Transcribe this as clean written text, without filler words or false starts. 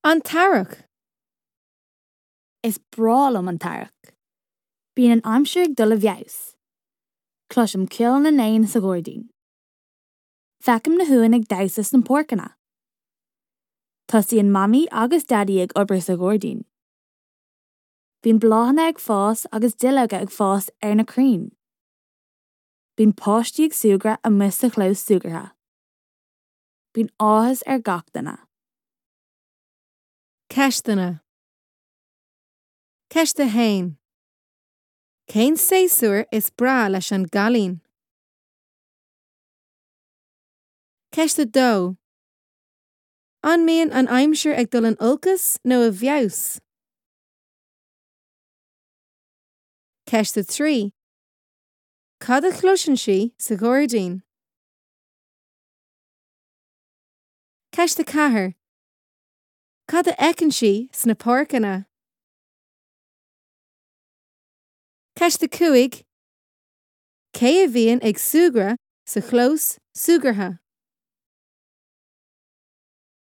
An tEarrach. Is breá liom an t-earrach. Bíonn an aimsir ag dul i bhfeabhas. Cloisim ceol na n-éan sa ghairdín. Feicim na huain ag damhsa sna páirceanna. Tosaíonn Mamaí agus Daidí ag obair sa ghairdín. Bíonn bláthanna ag fás agus duilleoga ag fás ar na crainn. Bíonn páistí ag súgradh amuigh sa chlós súgartha. Bíonn áthas ar gach duine. Ceisteanna. Ceist 1. Cén séasúr is breá leis an gcailín? Ceist 2. An mbíonn an aimsir ag dul in olcas nó i bhfeabhas? Ceist 3. Cad a chloiseann sí sa ghairdín? Ceist 4. Cad a fheiceann sí sna páirceanna? Ceist 5. Cé a bhíonn ag súgradh sa chlós súgartha?